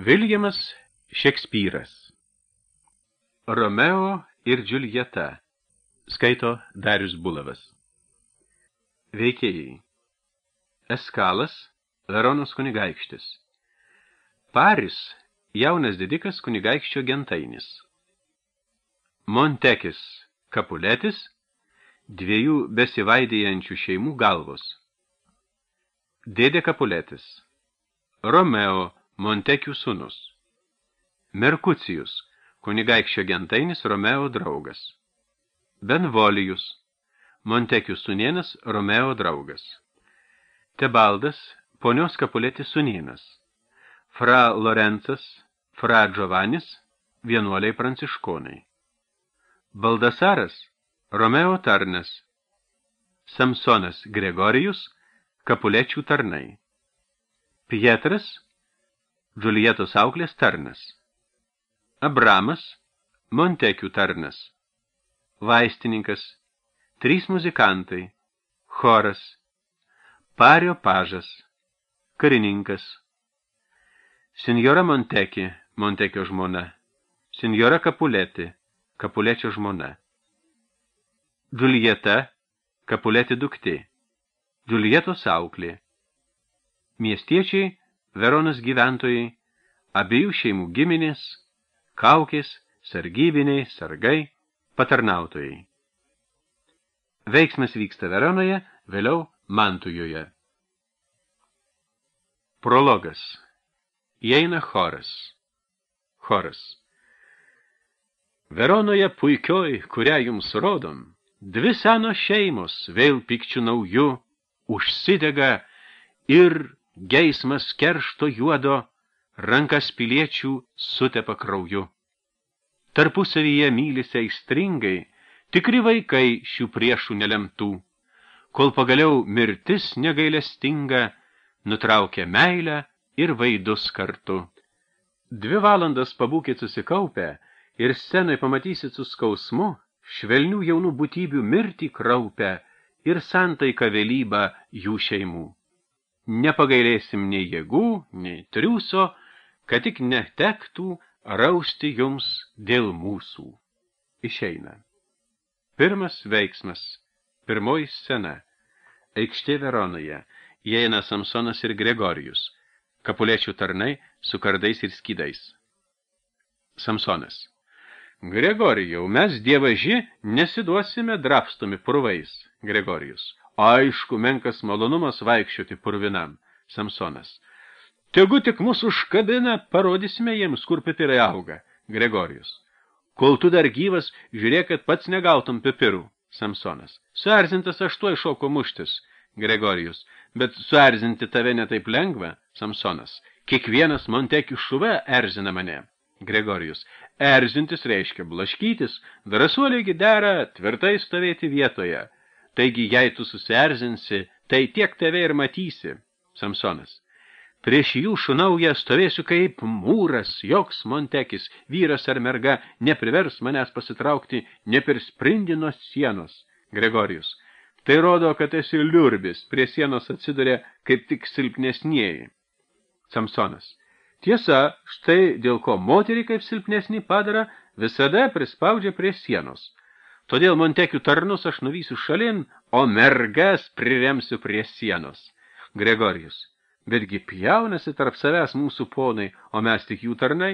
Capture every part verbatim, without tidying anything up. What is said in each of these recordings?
Viljamas Šekspyras. Romeo ir Džiuljeta. Skaito Darius Bulavas. Veikėjai. Eskalas, Veronos kunigaikštis. Paris, jaunas didikas kunigaikščio gentainis. Montekis, Kapuletis, dviejų besivaidėjančių šeimų galvos. Dėdė Kapuletis. Romeo, Montekių sūnus. Merkucijus, kunigaikščio gentainis Romeo draugas. Benvolijus, Montekių sūnėnas Romeo draugas. Tebaldas, ponios Kapuletės sūnėnas. Fra Lorencas, Fra Giovanis, vienuoliai pranciškonai. Baldasaras, Romeo tarnas. Samsonas Gregorijus, Kapulečių tarnai. Pietras, Džiuljetos auklės tarnas. Abramas, Montekių tarnas. Vaistininkas, trys muzikantai, choras, Pario pažas, karininkas. Sinjora Monteki, Montekio žmona. Sinjora Kapuletė, Kapulečio žmona. Džiuljeta, Kapuletė duktė. Džiuljetos auklė. Miestiečiai, Veronos gyventojai, abiejų šeimų giminės, kaukės, sargybiniai, sargai, patarnautojai. Veiksmas vyksta Veronoje, vėliau Mantujoje. Prologas. Įeina choras. Choras. Veronoje puikioj, kurią jums rodom, dvi senos šeimos vėl pykčių naujų užsidega ir geismas keršto juodo rankas piliečių sutepa krauju. Tarpusavyje mylisi aistringai, tikri vaikai šių priešų nelemtų, kol pagaliau mirtis negailestinga nutraukia meilę ir vaidus kartu. Dvi valandas pabūkit susikaupę ir scenai pamatysit su skausmu švelnių jaunų būtybių mirtį kraupę ir santaiką vėlybą jų šeimų. Nepagailėsim nei jėgų, nei triūso, kad tik netektų rausti jums dėl mūsų. Išeina. Pirmas veiksmas. Pirmoji scena. Aikštė Veronoje. Įeina Samsonas ir Gregorijus. Kapulečių tarnai su kardais ir skydais. Samsonas. Gregorijau, mes dievaži nesiduosime drapstomi purvais. Gregorijus. Aišku, menkas malonumas vaikščioti purvinam. Samsonas. Tegu tik mūsų užkabina, parodysime jiems, kur pipirai auga. Gregorijus. Kol tu dar gyvas, žiūrėk, kad pats negautum pipirų. Samsonas. Suerzintas aš tuoj šoko muštis. Gregorijus. Bet suerzinti tave netaip lengva. Samsonas. Kiekvienas Montekių šuva erzina mane. Gregorijus. Erzintis reiškia blaškytis, drąsuoliai dera tvirtai stovėti vietoje. Taigi, jei tu susierzinsi, tai tiek tave ir matysi. Samsonas. Prieš jų šunaują stovėsiu kaip mūras, joks Montekis, vyras ar merga, neprivers manęs pasitraukti ne per sprindį nuo sienos. Gregorijus. Tai rodo, kad esi liurbis, prie sienos atsiduria kaip tik silpnesnieji. Samsonas. Tiesa, štai dėl ko moterį kaip silpnesnį padara, visada prispaudžia prie sienos. Todėl Montekių tarnus aš nuvysiu šalin, o mergas priremsiu prie sienos. Gregorijus. Betgi pjaunasi tarp savęs mūsų ponai, o mes tik jų tarnai.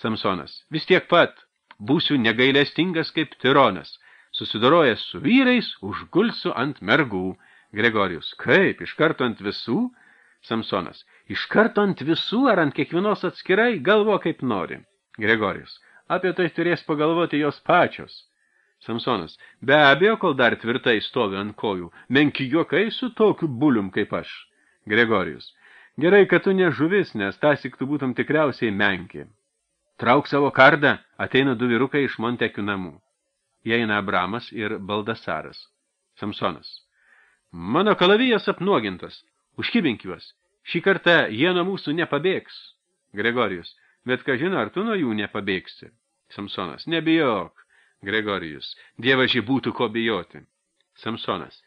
Samsonas. Vis tiek pat, būsiu negailestingas kaip tironas. Susidorojęs su vyrais, užgulsiu ant mergų. Gregorijus. Kaip, iš karto ant visų? Samsonas. Iš karto ant visų ar ant kiekvienos atskirai, galvo kaip nori. Gregorijus. Apie tai turės pagalvoti jos pačios. Samsonas. Be abejo, kol dar tvirtai stovi ant kojų, menki juokai su tokiu bulium kaip aš. Gregorijus. Gerai, kad tu ne žuvis, nes tasik tu būtum tikriausiai menki. Trauk savo kardą, ateina du vyrukai iš Montekių namų. Įeina Abramas ir Baldasaras. Samsonas. Mano kalavijas apnuogintas, užkibink juos. Šį kartą jie nuo mūsų nepabėgs. Gregorijus. Bet ką žino, ar tu nuo jų nepabėgsi? Samsonas. Nebijok. Gregorijus. Dievaži būtų ko bijoti. Samsonas.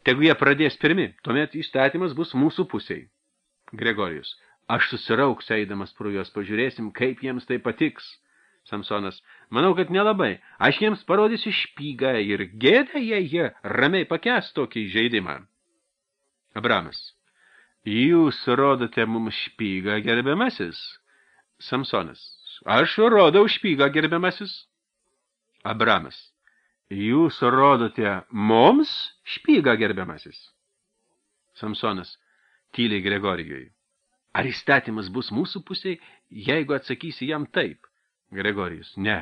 Tegu jie pradės pirmi, tuomet įstatymas bus mūsų pusiai. Gregorijus. Aš susirauksiu eidamas pro juos, pažiūrėsim, kaip jiems tai patiks. Samsonas, manau, kad nelabai. Aš jiems parodysiu špygą ir gėdą, jei jie ramiai pakęs tokį žaidimą. Abramas, jūs rodote mums špygą, gerbiamasis. Samsonas, aš rodau špygą, gerbiamasis. Abramas, jūs rodote mums špygą, gerbiamasis. Samsonas, tyliai Gregorijui. Ar įstatymas bus mūsų pusėj, jeigu atsakysi jam taip? Gregorijus, ne.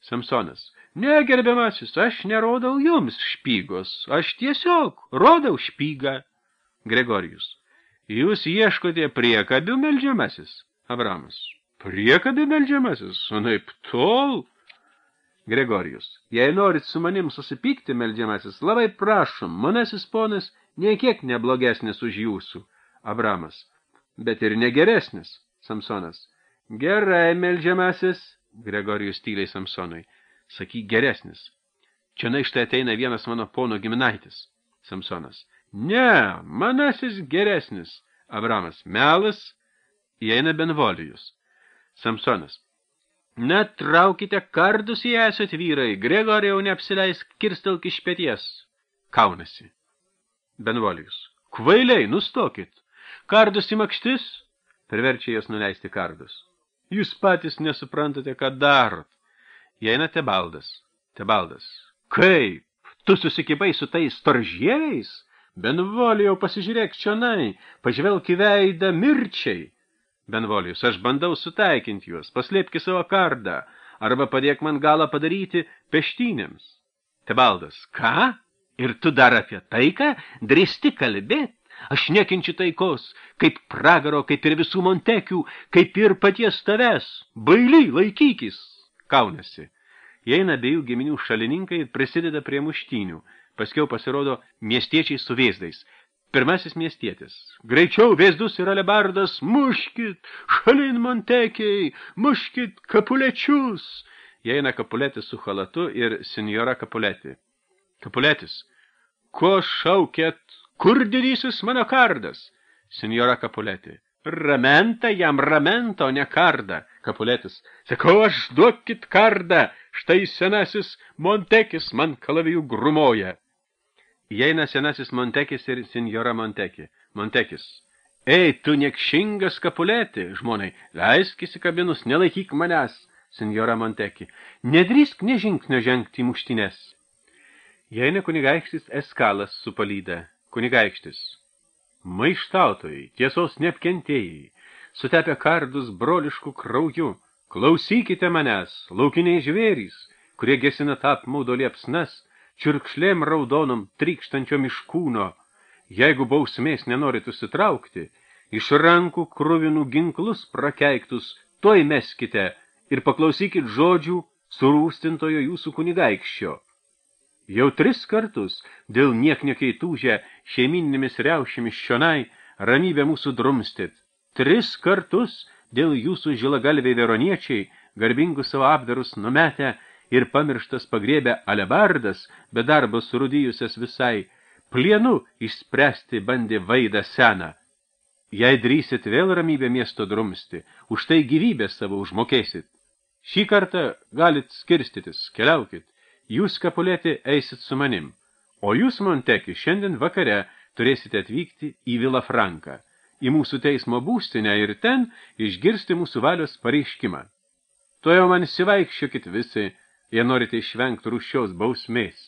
Samsonas, ne, gerbiamasis, aš nerodau jums špygos, aš tiesiog rodau špygą. Gregorijus, jūs ieškote priekabių, meldžiamasis. Abramas, priekabių, meldžiamasis, anaip tol. Gregorijus, jei norit su manim susipykti, meldžiamasis, labai prašom, manasis ponas niekiek neblogesnis už jūsų. Abramas, bet ir negeresnis. Samsonas, gerai, meldžiamasis. Gregorijus tyliai Samsonui, sakyk geresnis. Čia na štai ateina vienas mano pono giminaitis. Samsonas, ne, manasis geresnis. Abramas, melas. Įeina Benvolijus. Samsonas, net traukite kardus, jei esat vyrai, Gregorijau neapsileisk, kirstelk iš peties. Kaunasi. Benvolijus, kvailiai, nustokit. Kardus į makštis, priverčia jos nuleisti kardus. Jūs patys nesuprantate, ką darot. Įeina Tebaldas. Tebaldas, kaip? Tu susikibai su tais storžieviais? Benvolijau, pasižiūrėk čionai, pažvelk į veidą mirčiai. Benvolijus, aš bandau sutaikinti juos, paslėpki savo kardą, arba padėk man galą padaryti peštynėms. Tebaldas, ką? Ir tu dar apie taiką drįsti kalbėt? Aš nekenčiu taikos, kaip pragaro, kaip ir visų Montekių, kaip ir paties tavęs. Baily, laikykis. Kaunasi. Įeina abiejų giminių šalininkai ir prisideda prie muštynių. Paskiau pasirodo miestiečiai su vėzdais. Pirmasis miestietis. Greičiau vėzdus ir alebardas, muškit, šalin Montekiai, muškit kapulečius. Įeina Kapuletis su chalatu ir senjora Kapuleti. Kapuletis. Ko šaukėt? Kur didysis mano kardas? Senjora Kapuleti. Ramenta jam ramento, ne kardą. Kapuletis. Sakau, aš duokit kardą. Štai senasis Montekis man kalavijų grumoja. Įeina senasis Montekis ir senjora Monteki. Montekis. Ei, tu niekšingas Kapuleti, žmonai, leisk įsikabinus, nelaikyk manęs. Senjora Monteki. Nedrįsk nežingsnio žengti į muštines. Įeina kunigaikštis Eskalas su palyda. Kunigaikštis. Maištautojai, tiesos neapkentėjai, sutepę kardus broliškų krauju, klausykite manęs, laukiniai žvėrys, kurie gesina apmaudo liepsnas, čiurkšlėm raudonom trykštančiom iš kūno. Jeigu bausmės nenorit susitraukti, iš rankų kruvinų ginklus prakeiktus, toj meskite ir paklausykit žodžių surūstintojo jūsų kunigaikščio. Jau tris kartus dėl niekniekiai tūžę šeiminėmis riaušėmis šionai ramybę mūsų drumstit. Tris kartus dėl jūsų žilagalviai veroniečiai garbingus savo apdarus numetę ir pamirštas pagriebę alebardas, be darbo surūdijusias visai, plienu išspręsti bandė vaidą seną. Jei drįsit vėl ramybę miesto drumsti, už tai gyvybę savo užmokėsit. Šį kartą galit skirstytis, keliaukit. Jūs, Kapuleti, eisit su manim, o jūs, Monteki, šiandien vakare turėsite atvykti į Vilafranką, į mūsų teismo būstinę ir ten išgirsti mūsų valios pareiškimą. To jau man įsivaikščiokit visi, jei norite išvengti rūsčios bausmės.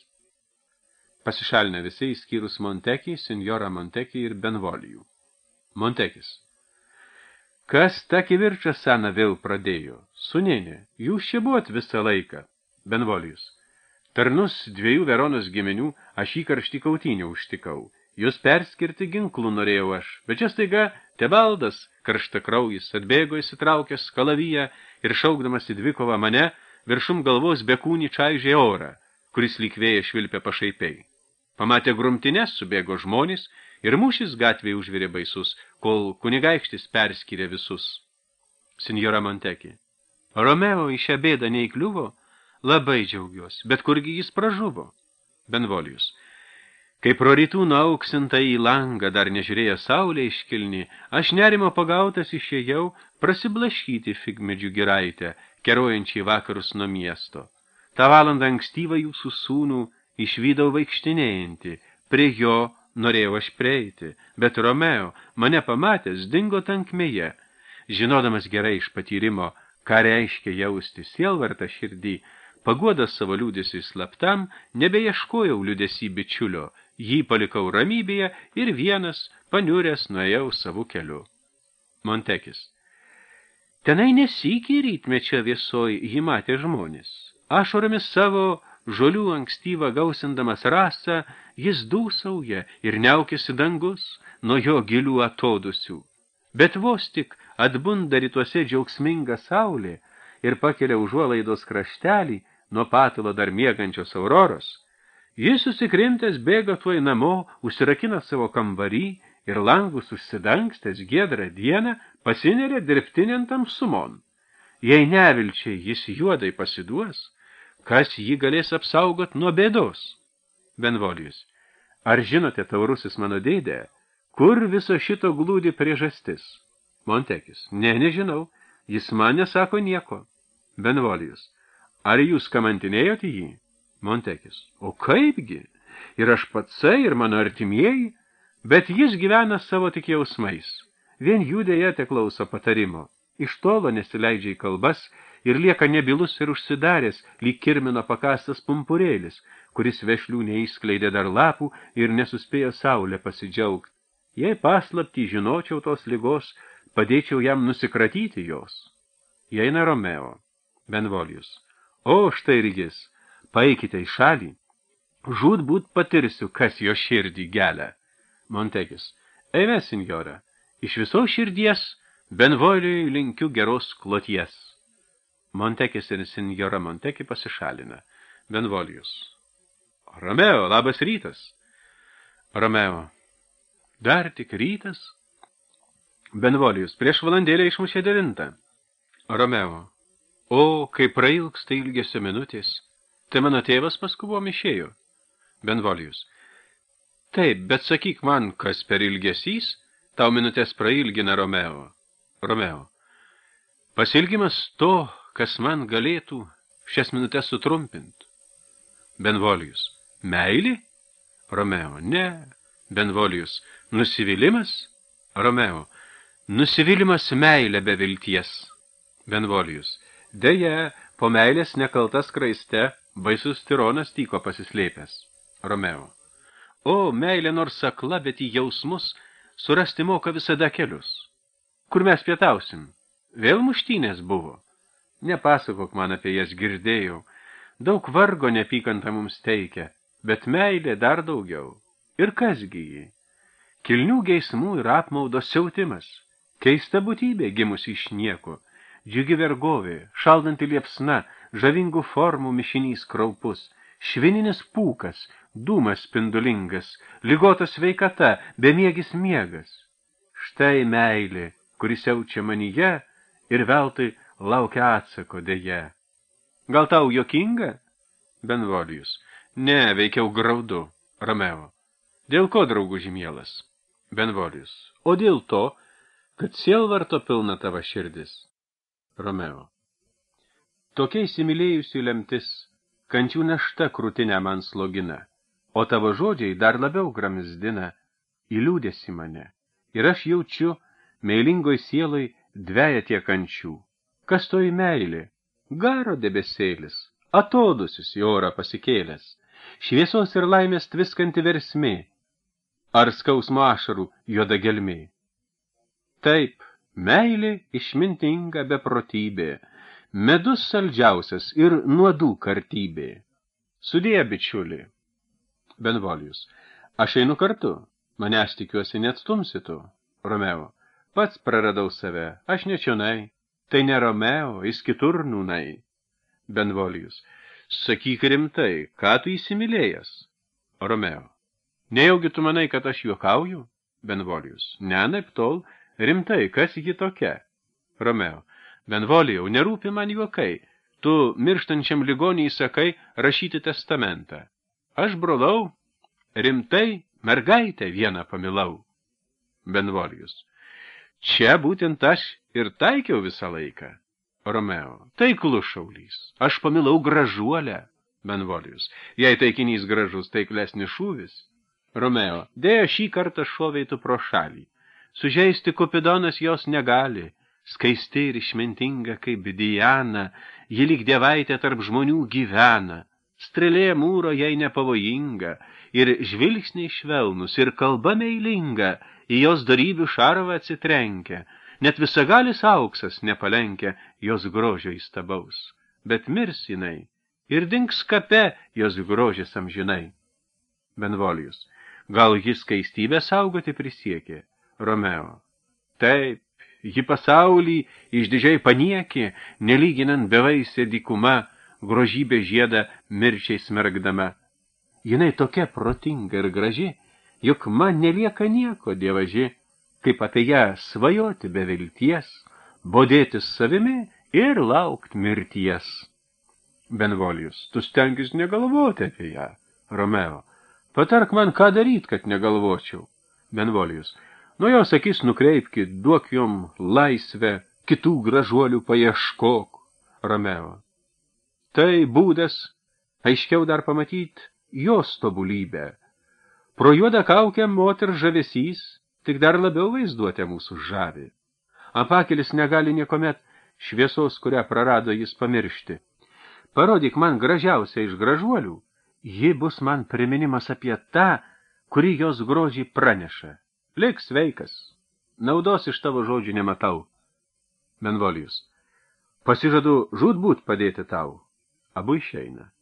Pasišalina visi, įskyrus Montekį, senjorą Montekį ir Benvolijų. Montekis. Kas tą kivirčą seną vėl pradėjo? Sūnėne, jūs čia buvot visą laiką. Benvolijus. Tarnus dviejų Veronos giminių aš į karštį kautinę užtikau. Jūs perskirti ginklų norėjau aš, bet čia staiga Tebaldas, karštakraujis, atbėgo įsitraukęs kalaviją ir šaukdamas į dvikovą mane, viršum galvos bekūnį čaižė orą, kuris lyg vėja švilpė pašaipiai. Pamatė grumtines, subėgo žmonės ir mūšis gatvėje užvirė baisus, kol kunigaikštis perskyrė visus. Senjora Monteki. Romeo į šią bėdą neįkliuvo? Labai džiaugiuosi, bet kurgi jis pražuvo? Benvolijus. Kai pro rytų nuauksinta į langą dar nežiūrėjo saulė iškilni, aš nerimo pagautas išėjau prasiblaškyti figmedžių giraitę, kerojančiai vakarus nuo miesto. Ta valandą ankstyvą jūsų sūnų išvydau vaikštinėjantį, prie jo norėjau aš prieiti, bet Romeo, mane pamatęs, dingo tankmėje. Žinodamas gerai iš patyrimo, ką reiškia jausti sielvartą širdį, paguodas savo liūdėsiui slaptam, nebeieškojau liūdėsį bičiulio, jį palikau ramybėje ir vienas, paniuręs, nuėjau savo keliu. Montekis. Tenai nesykį rytmečio viesoj jį matė žmonės. Ašoromis savo žolių ankstyvą gausindamas rasą, jis dūsauja ir niaukėsi dangus nuo jo gilių atodusių. Bet vos tik atbunda rytuose džiaugsminga saulė ir pakelia užuolaidos kraštelį nuo patalo dar miegančios auroros, jis susikrimtęs bėga tuoj namo, užsirakina savo kambarį ir langus užsidangstęs giedrą dieną pasineria dirbtinėn tamsumon. Jei nevilčiai jis juodai pasiduos, kas jį galės apsaugot nuo bėdos? Benvolijus. Ar žinote, taurusis mano dėdė, kur viso šito glūdi priežastis? Montekis. Ne, nežinau, jis man nesako nieko. Benvolijus. Ar jūs kamantinėjote jį? Montekis. O kaipgi? Ir aš patsai, ir mano artimieji, bet jis gyvena savo tik jausmais. Vien jų dėja te klauso patarimo. Iš tolo nesileidžia į kalbas ir lieka nebilus ir užsidaręs, lyg kirmino pakastas pumpurėlis, kuris vešlių neįskleidė dar lapų ir nesuspėjo saulę pasidžiaugt. Jei paslaptį žinočiau tos ligos, padėčiau jam nusikratyti jos. Jaina Romeo. Benvolijus. O, štai ir jis. Paeikite į šalį. Žūtbūt patirsiu, kas jo širdį gelia. Montekis. Eime, senjora. Iš viso širdies Benvolijui linkiu geros kloties. Montekis ir senjora Monteki pasišalina. Benvolijus. Romeo, labas rytas. Romeo. Dar tik rytas? Benvolijus. Prieš valandėlę išmušė devintą. Romeo. O, kai prailgsta ilgesio minutės, tai mano tėvas paskubom išėjo. Benvolijus. Taip, bet sakyk man, kas per ilgesys, tau minutės prailgina Romeo. Romeo. Pasilgimas to, kas man galėtų šias minutės sutrumpint. Benvolijus. Meilė? Romeo. Ne. Benvolijus. Nusivylimas? Romeo. Nusivylimas meilė be vilties. Benvolijus. Deja, po meilės nekaltas kraiste baisus tironas tyko pasislėpęs. Romeo. O, meilė nors akla, bet į jausmus surasti moka visada kelius. Kur mes pietausim? Vėl muštynės buvo. Nepasakok man apie jas, girdėjau. Daug vargo nepykanta mums teikia, bet meilė dar daugiau. Ir kasgi jį? Kilnių geismų ir apmaudo siautimas. Keista būtybė gimusi iš nieko. Džiugi vergovė, šaldanti liepsna, žavingų formų mišinys kraupus, švininis pūkas, dūmas spindulingas, ligota sveikata, bemiegis miegas. Štai meilė, kuris jaučia manyje ir veltui laukia atsako dėje. Gal tau jokinga? Benvolijus. Ne, veikiau graudu. Romeo. Dėl ko, drauguži mielas? Benvolijus. O dėl to, kad sielvarto pilna tava širdis. Romeo. Tokia įsimylėjusi lemtis, kančių našta krūtinę man slogina, o tavo žodžiai dar labiau gramzdina, įliūdėsi mane. Ir aš jaučiu, meilingoj sieloj dveja tie kančių. Kas toji meilė? Garo debesėlis, atodusius į orą pasikėlęs, šviesos ir laimės tviskanti versmė, ar skausmo ašarų juoda gelmė. Taip, meilė išmintinga beprotybė, medus saldžiausias ir nuodų kartybė. Sudėję bičiulį. Benvolijus. Aš einu kartu, manęs tikiuosi neatstumsitu. Romeo. Pats praradau save, aš nečionai. Tai ne Romeo, jis kitur nūnai. Benvolijus. Sakyk rimtai, ką tu įsimylėjęs? Romeo. Nejaugi tu manai, kad aš juokauju? Benvolijus. Ne, naip tol. Rimtai, kas ji tokia? Romeo. Benvolijau, nerūpi man juokai. Tu mirštančiam ligoniai sakai rašyti testamentą. Aš brolau, rimtai mergaitę vieną pamilau. Benvolijus. Čia būtent aš ir taikiau visą laiką. Romeo. Taiklus šaulys. Aš pamilau gražuolę. Benvolijus. Jei taikinys gražus, taiklesnis šūvis. Romeo. Dėja šį kartą šoveitų pro šalį. Sužeisti Kupidonas jos negali. Skaisti ir išmintinga kaip Diana, ji lyg dievaitė tarp žmonių gyvena. Strėlė mūro jai nepavojinga, ir žvilgsniai švelnus, ir kalba meilinga, į jos darybių šarvą atsitrenkia. Net visagalis auksas nepalenkia jos grožio įstabaus. Bet mirs jinai, ir dings kape jos grožis amžinai. Benvolijus. Gal jis skaistybę saugoti prisiekė? Romeo. Taip, ji pasaulį išdidžiai paniekė, nelyginant bevaisė dykuma, grožybė žiedą mirčiai smergdama. Jinai tokia protinga ir graži, juk man nelieka nieko, dievaži, kaip apie ją svajoti be vilties, bodėtis savimi ir laukt mirties. Benvolijus. Tu stengis negalvoti apie ją. Romeo. Patark man, ką daryt, kad negalvočiau. Benvolijus. Nuo jos akis nukreipki, duok jom laisvę, kitų gražuolių paieškok. Romeo. Tai būdas, aiškiau dar pamatyt, jos tobulybę. Pro juodą kaukę moter žavesys, tik dar labiau vaizduotė mūsų žavi. Apakelis negali niekomet šviesos, kurią prarado jis pamiršti. Parodyk man gražiausią iš gražuolių, ji bus man priminimas apie tą, kuri jos grožį praneša. Lik sveikas, naudos iš tavo žodžių nematau. Benvolijus. Pasižadu žūtbūt padėti tau. Abu išeina.